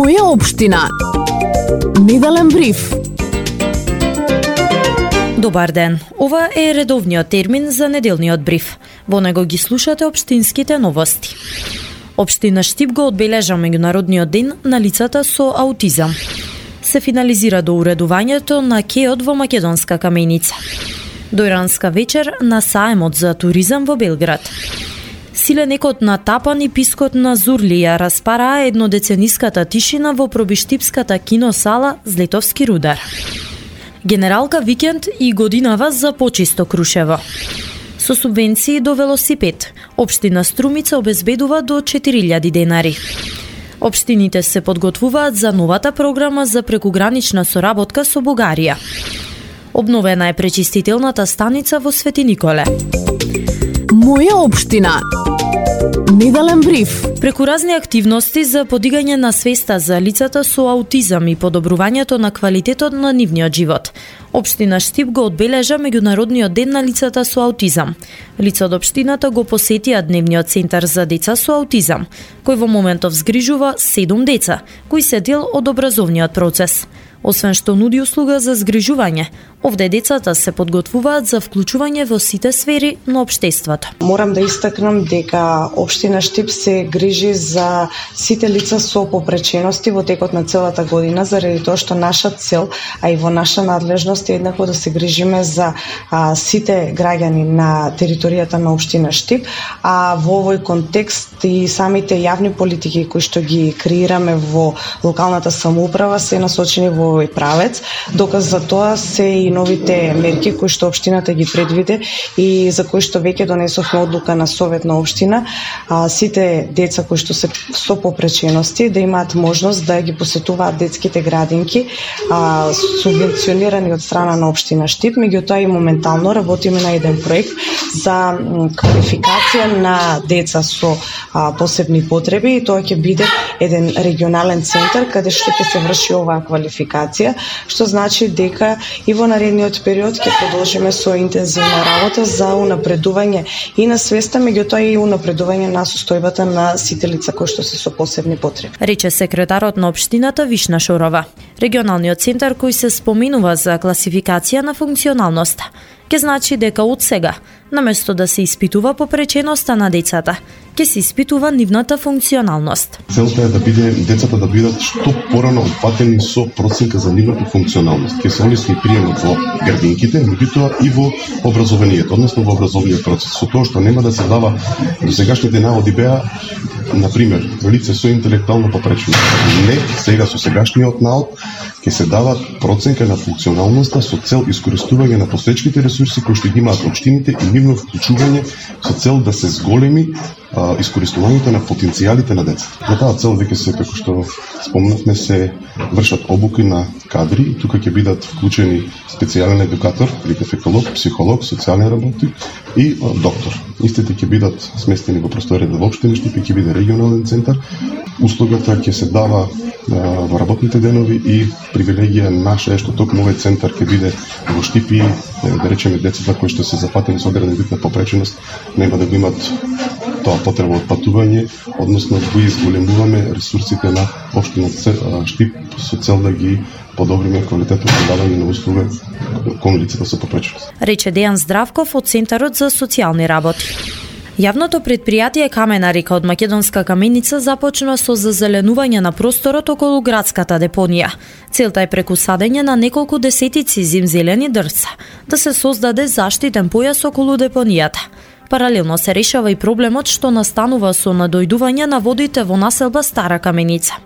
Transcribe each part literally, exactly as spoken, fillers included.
Моја општина. Неделен бриф. Добар ден. Ова е редовниот термин за неделниот бриф. Во него ги слушате општинските новости. Општина Штип го одбележа меѓународниот ден на лицата со аутизам. Се финализира доуредувањето на кеот во Македонска каменица. Дојранска вечер на саемот за туризам во Белград. Силенекот на Тапан и пискот на Зурлија распараа еднодецениската тишина во пробиштипската киносала Злетовски рудар. Генералка викенд и годинава за почисто Крушево. Со субвенции до велосипед, општина Струмица обезбедува до четири илјади денари. Општините се подготвуваат за новата програма за прекугранична соработка со Бугарија. Обновена е пречистителната станица во Свети Николе. Моја општина. Неделен бриф. Преку разни активности за подигање на свеста за лицата со аутизам и подобрувањето на квалитетот на нивниот живот, општина Штип го одбележа меѓународниот ден на лицата со аутизам. Лица од општината го посетија дневниот центар за деца со аутизам, кој во моментов згрижува седум деца, кои се дел од образовниот процес. Освен што нуди услуга за згрижување, овде децата се подготвуваат за вклучување во сите сфери на општеството. Морам да истакнам дека општина Штип се грижи за сите лица со попречености во текот на целата година, заради тоа што наша цел, а и во наша надлежност е еднакво да се грижиме за а, сите граѓани на територијата на општина Штип, а во овој контекст и самите јавни политики кои што ги креираме во локалната самоуправа се насочени во овој правец. Доказ за тоа се и новите мерки кои што општината ги предвиде и за кои што веќе донесовме одлука на совет на општина, а, сите деца кои што се со попречености да имаат можност да ги посетуваат детските градинки, а, субвенционирани од страна на општина Штип. Меѓутоа и моментално работиме на еден проект за квалификација на деца со а, посебни потреби и тоа ќе биде еден регионален центар каде што ќе се врши оваа квалификација, што значи дека и во наредниот период ќе продолжиме со интензивна работа за унапредување и на свеста, меѓутоа и унапредување на состојбата на сите лица кои што се со посебни потреби. Рече секретарот на општината Вишна Шорова. Регионалниот центар кој се споминува за класификација на функционалноста ќе значи дека од сега, наместо да се испитува попреченоста на децата, ќе се испитува нивната функционалност. Целта е да биде децата да бидат што порано опфатени со проценка за нивната функционалност. Ќе се олесни приемот во градинките, меѓутоа и во образованието, односно во образовниот процес. Со тоа што нема да се дава до сегашните наводи беа, например, лице со интелектуална попреченост. Не, сега со сегашниот навод ќе се дава проценка на функционалноста со цел искористување на постоечките ресурси кои што ги имаат општините и нивно вклучување со цел да се зголеми а, искористувањето на потенцијалите на децата. За таа цел веќе се, како што спомнавме, се вршат обуки на кадри и тука ќе бидат вклучени специјален едукатор, дефектолог, психолог, социјален работник и а, доктор. Истите ќе бидат сместени во просторијата во општина Штип и ќе биде регионален центар. Услугата ќе се дава во работните денови и привилегија наша е што токму овој центар ќе биде во Штип и, да речеме, децата кои што се запатени со одреден вид на попреченост нема да го имат тоа потреба од патување, односно го изголемуваме ресурсите на општина Штип со цел да ги подобриме квалитетот на давање на услуга кон лицата со попреченост. Рече Дејан Здравков од Центарот за социјални работи. Јавното предпријатие Камена река од Македонска каменица започна со зазеленување на просторот околу градската депонија. Целта е преку садење на неколку десетици зимзелени дрвца да се создаде заштитен појас околу депонијата. Паралелно се решава и проблемот што настанува со надојдување на водите во населба Стара Каменица.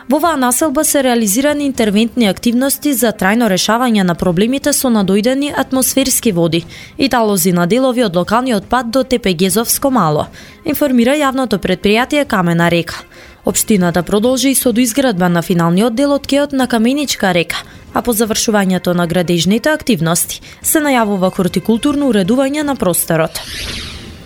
Во оваа населба се реализирани интервентни активности за трајно решавање на проблемите со надојдени атмосферски води и талози на делови од локалниот пат до Тепегезовско мало, информира јавното предпријатие Камена река. Општината продолжи и со доизградба на финалниот дел од кеот на Каменичка река, а по завршувањето на градежните активности се најавува хортикултурно уредување на просторот.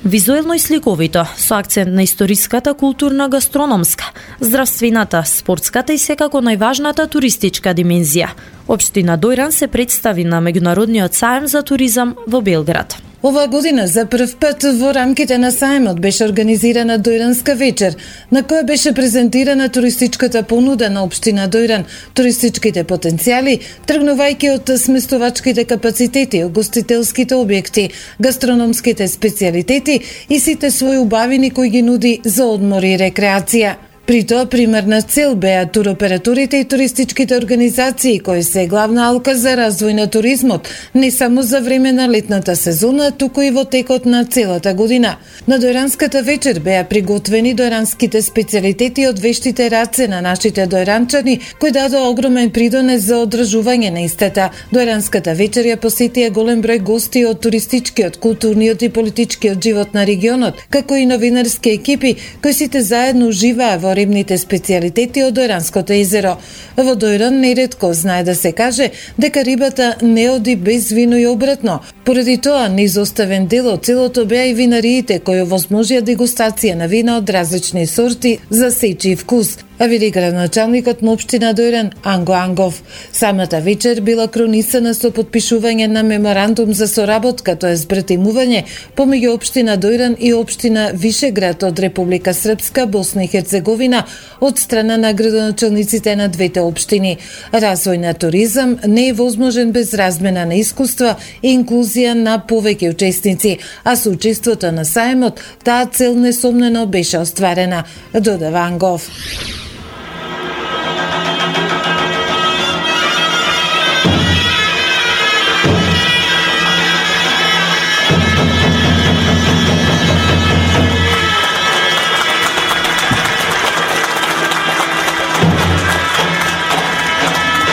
Визуелно и сликовито, со акцент на историската, културна, гастрономска, здравствената, спортската и секако најважната туристичка димензија. Општина Дојран се представи на меѓународниот саем за туризам во Белград. Оваа година за прв пат во рамките на саемот беше организирана Дојранска вечер, на која беше презентирана туристичката понуда на општина Дојран, туристичките потенцијали, тргнувајќи од сместувачките капацитети, угостителските објекти, гастрономските специјалитети и сите своји убавини кои ги нуди за одмор и рекреација. При тоа примерна цел беа туроператорите и туристичките организации кои се главна алка за развој на туризмот, не само за време на летната сезона, туку и во текот на целата година. На Дојранската вечер беа приготвени дојранските специјалитети од вештите раце на нашите дојранчани, кои дадоа огромен придонес за одржување на истата. Дојранската вечер ја посетија голем број гости од туристичкиот, културниот и политичкиот живот на регионот, како и новинарски екипи кои сите заедно уживаа во рибните специјалитети од Дојранското езеро. Во Дојран неретко знае да се каже дека рибата не оди без вино и обратно. Поради тоа, неизоставен дел од целото беа и винариите кои овозможија дегустација на вина од различни сорти за сечи вкус, а вели градоначалникот на општина Дојран Анго Ангов. Самата вечер била кронисана со потпишување на меморандум за соработка, тоа е збратимување помеѓу општина Дојран и општина Вишеград од Република Српска, Босна и Херцеговина од страна на градоначалниците на двете општини. Развој на туризам не е возможен без размена на искуства и инклузија на повеќе учесници, а со учеството на саемот таа цел несомнено беше остварена, додава Ангов.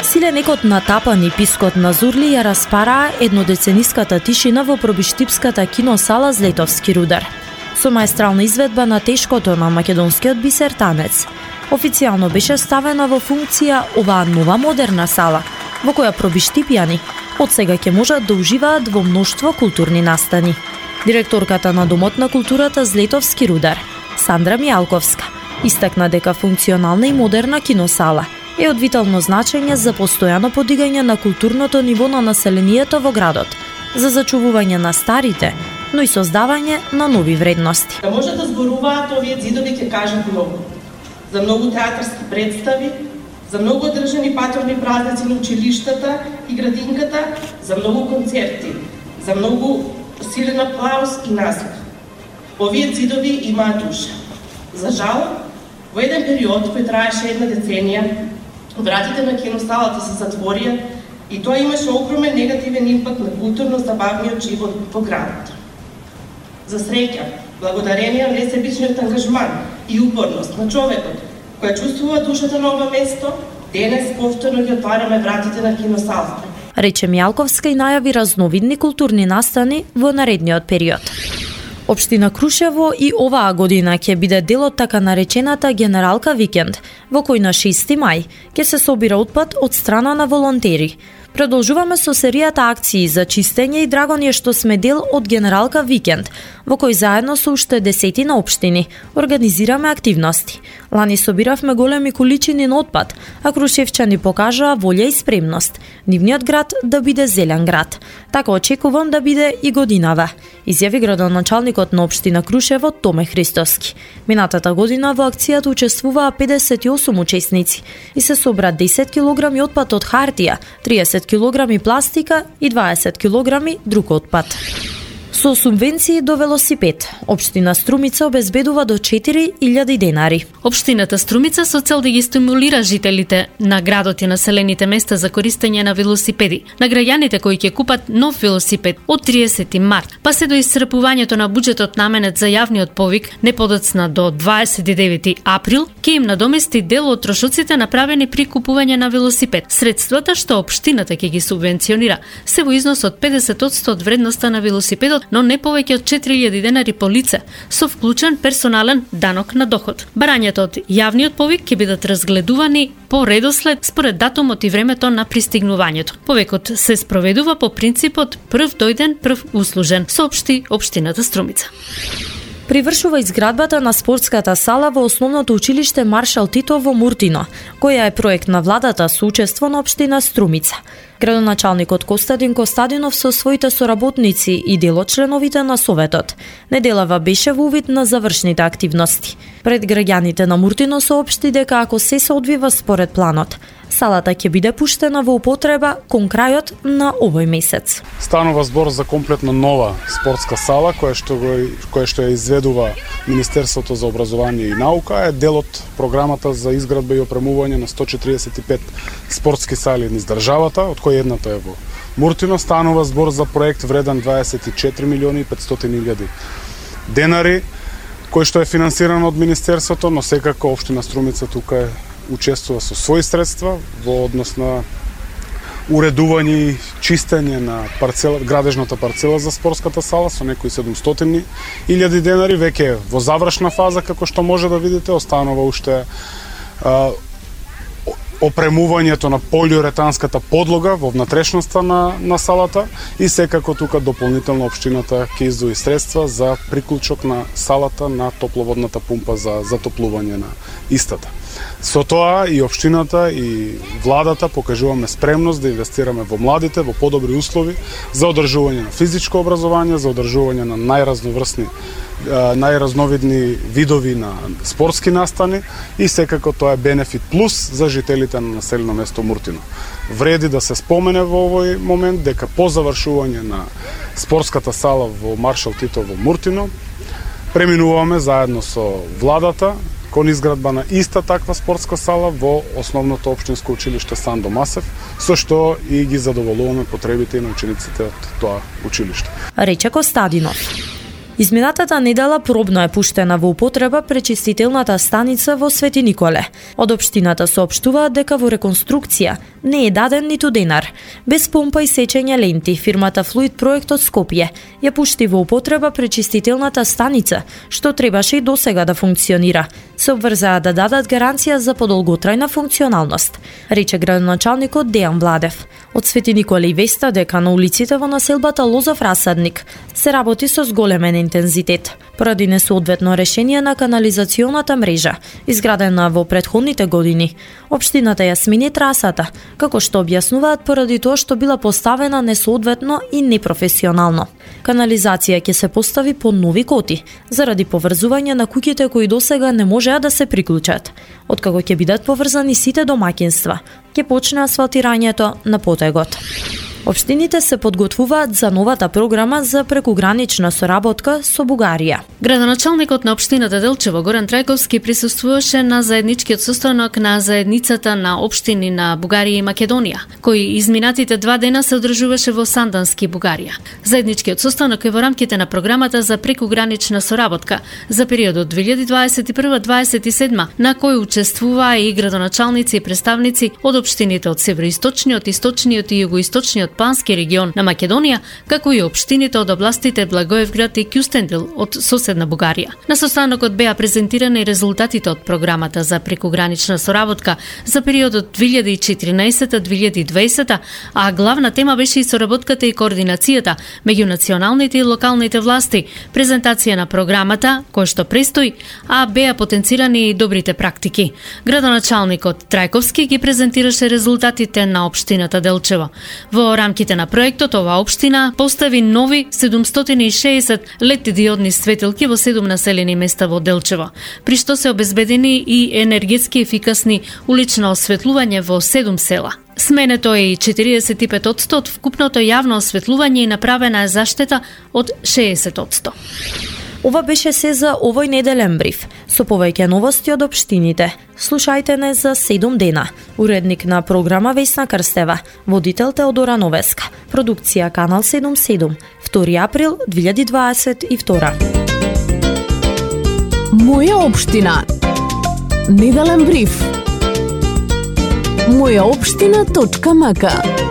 Силенекот на Тапан и пискот на Зурли ја распараа еднодецениската тишина во пробиштипската киносала Злетовски рудар. Со маестрална изведба на тешкото на македонскиот бисер танец. Официјално беше ставена во функција оваа нова модерна сала, во која пробиштипјани од сега ќе можат да уживаат во мноштво културни настани. Директорката на Домот на културата Злетовски рудар, Сандра Мијалковска, истакна дека функционална и модерна киносала е од витално значење за постојано подигање на културното ниво на населението во градот, за зачувување на старите, но и создавање на нови вредности. Да може да зборуваат овие ѕидови ќе кажат многу. За многу театарски представи, за многу одржани паторни празници на училиштата и градинката, за многу концерти, за многу силен аплауз и насмех. Овие ѕидови имаат душа. За жал, во еден период кој траеше една деценија, вратите на киносалата се затворија и тоа имаше огромен негативен импакт на културно-забавниот живот во градот. За среќа, благодарение на несебичниот ангажман и упорност на човекот, која чувствува душата на ова место, денес повторно ги отвараме вратите на киносалата. Рече Мијалковска и најави разновидни културни настани во наредниот период. Општина Крушево и оваа година ќе биде дел од така наречената Генералка викенд, во кој на шести мај ќе се собира отпад од страна на волонтери. Продолжуваме со серијата акции за чистење и драго ни е што сме дел од Генералка викенд, во кој заедно со уште десетина општини организираме активности. Лани собиравме големи количини на отпад, а крушевчани покажаа волја и спремност нивниот град да биде зелен град. Така очекувам да биде и годинава, изјави градоначалникот на општина Крушево Томе Христоски. Минатата година во акцијата учествуваа педесет и осум учесници и се собра десет килограми отпад од хартија, триесет килограми пластика и дваесет килограми друг отпад. Со субвенции до велосипед, општина Струмица обезбедува до четири илјади денари. Општината Струмица со цел да ги стимулира жителите на градот и населените места за користење на велосипеди, на граѓаните кои ќе купат нов велосипед од триесети март, па се до исцрпувањето на буџетот наменет за јавниот повик не подоцна до дваесет и девети април, ќе им надомести дел од трошоците направени при купување на велосипед. Средствата што општината ќе ги субвенционира се во износ од педесет одсто од вредноста на велосипедот, но не повеќе од четири илјади денари по лице, со вклучен персонален данок на доход. Барањето од јавниот повик ќе бидат разгледувани по редослед според датумот и времето на пристигнувањето. Повикот се спроведува по принципот прв дојден, прв услужен, соопшти општината Струмица. привршува изградбата на спортската сала во основното училиште Маршал Тито во Муртино, која е проект на владата со учество на општина Струмица. Градоначалникот Костадин Костадинов со своите соработници и дел од членовите на советот неделава беше во увид на завршните активности. Пред граѓаните на Муртино соопшти дека ако се се одвива според планот, салата ќе биде пуштена во употреба кон крајот на овој месец. Станува збор за комплетно нова спортска сала која што го која што ја изведува Министерството за образование и наука, е дел од програмата за изградба и опремување на сто четиридесет и пет спортски сали низ државата, од кои едната е во Муртино. Станува збор за проект вреден дваесет и четири милиони и петстотини илјади денари, кој што е финансиран од Министерството, но секако општина Струмица тука е учествува со своји средства во однос на уредување и чистење на парцела, градежната парцела за спортската сала со некои седумстотини илјади денари, веќе во завршна фаза, како што може да видите. Останува уште а, опремувањето на полиуретанската подлога во внатрешноста на, на салата и секако тука дополнително општината ќе издвои средства за приклучок на салата на топловодната пумпа за затоплување на истата. Со тоа и општината и владата покажуваме спремност да инвестираме во младите, во подобри услови за одржување на физичко образование, за одржување на најразноврсни, најразновидни видови на спортски настани и секако тоа е бенефит плюс за жителите на населено место Муртино. Вреди да се спомене во овој момент дека по завршување на спортската сала во Маршал Тито во Муртино преминуваме заедно со владата кон изградба на иста таква спортска сала во основното општинско училиште Сандо Масев, со што и ги задоволуваме потребите и на учениците од тоа училиште. Рече Костадинов. Изминатата недела пробно е пуштена во употреба пречистителната станица во Свети Николе. Од општината соопштуваат дека во реконструкција не е даден ниту денар. Без помпа и сечење ленти, фирмата Флуид Проект од Скопје ја пушти во употреба пречистителната станица, што требаше и досега да функционира. Се обврзаа да дадат гаранција за подолготрајна функционалност, рече градоначалникот Дејан Владев. Од Свети Николе и веста дека на улиците во населбата Лозов Расадник се работи со зголемен интензитет, поради несоодветно решение на канализационата мрежа, изградена во претходните години. Општината ја смени трасата, како што објаснуваат поради тоа што била поставена несоодветно и непрофесионално. Канализација ќе се постави по нови коти, заради поврзување на куќите кои досега не можеа да се приклучат. Откако ќе бидат поврзани сите домаќинства, ќе почне асфалтирањето на потегот. Општините се подготвуваат за новата програма за прекугранична соработка со Бугарија. Градоначалникот на општината Делчево Горан Трајковски присуствуваше на заедничкиот состанок на заедницата на општини на Бугарија и Македонија, кој изминатите два дена се одржуваше во Сандански, Бугарија. Заедничкиот состанок е во рамките на програмата за прекугранична соработка за периодот две илјади дваесет и прва - дваесет и седма, на кој учествуваа и градоначалници и представници од општините од североисточниот, источниот и југоисточниот Пански регион на Македонија, како и општините од областите Благоевград и Кјустендил од соседна Бугарија. На состанокот беа презентирани резултатите од програмата за прекугранична соработка за периодот две илјади и четиринаесета - две илјади и дваесета, а главна тема беше и соработката и координацијата меѓу националните и локалните власти, презентација на програмата, која што престои, а беа потенцирани и добрите практики. Градоначалникот Трајковски ги презентираше резултатите на општината Делчево. Во рамките на проектот, оваа општина постави нови седумстотини и шеесет лед диодни светилки во седум населени места во Делчево, при што се обезбедени и енергетски ефикасни улично осветлување во седум села. Сменето е и четириесет и пет одсто од вкупното јавно осветлување и направена е заштета од шеесет одсто. Ова беше се за овој неделен бриф. Со повеќе новости од општините, слушајте не за седум дена. Уредник на програма Весна Крстева, водител Теодора Новеска, продукција Канал седумдесет и седум, втори април две илјади дваесет и втора. Моја општина. Неделен бриф. моја општина точка м к